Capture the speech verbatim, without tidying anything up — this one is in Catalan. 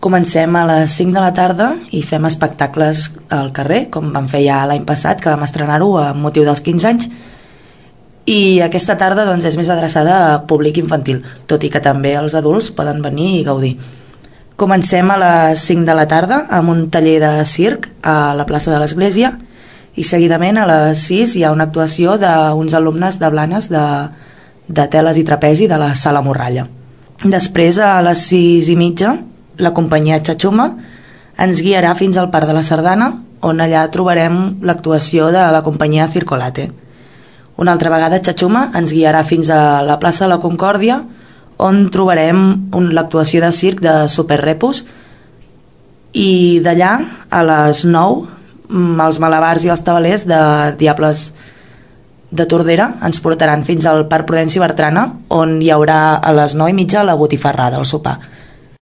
Comencem a les cinc de la tarda i fem espectacles al carrer, com vam fer ja l'any passat, que vam estrenar-ho amb motiu dels quinze anys, i aquesta tarda doncs, és més adreçada a públic infantil, tot i que també els adults poden venir i gaudir. Comencem a les cinc de la tarda amb un taller de circ a la plaça de l'Església i seguidament a les sis hi ha una actuació d'uns alumnes de Blanes de, de teles i trapezi de la Sala Morralla. Després, a les sis i mitja, la companyia Xatxuma ens guiarà fins al Parc de la Sardana, on allà trobarem l'actuació de la companyia Circolate. Una altra vegada Xatxuma ens guiarà fins a la plaça de la Concòrdia, on trobarem un, l'actuació de circ de Superrepus, i d'allà a les nou els malabars i els tabalers de Diables de Tordera ens portaran fins al Parc Prudenci Bertrana, on hi haurà a les nou i mitja la botifarrada, el sopar.